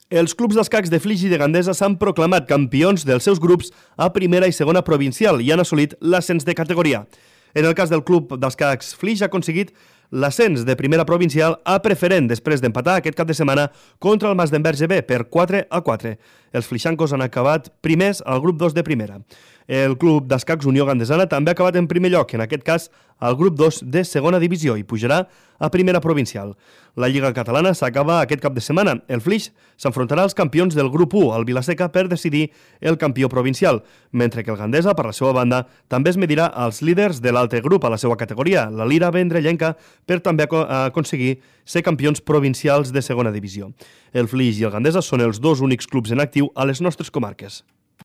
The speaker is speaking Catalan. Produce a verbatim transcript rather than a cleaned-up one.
Els clubs d'escacs de Flix i de Gandesa s'han proclamat campions dels seus grups a primera i segona provincial i han assolit l'ascens de categoria. En el cas del club d'escacs Flix ha aconseguit l'ascens de primera provincial a preferent després d'empatar aquest cap de setmana contra el Masdenverge B per quatre a quatre. Els flixancos han acabat primers al grup dos de primera. El club d'escacs Unió Gandesana també ha acabat en primer lloc, en aquest cas al grup dos de segona divisió i pujarà a primera provincial. La Lliga Catalana s'acaba aquest cap de setmana. El Flix s'enfrontarà als campions del grup u, el Vilaseca, per decidir el campió provincial, mentre que el Gandesa, per la seva banda, també es medirà als líders de l'altre grup a la seva categoria, la Lira Vendrellenca, per també aconseguir ser campions provincials de segona divisió. El Flix i el Gandesa són els dos únics clubs en actiu a les nostres comarques.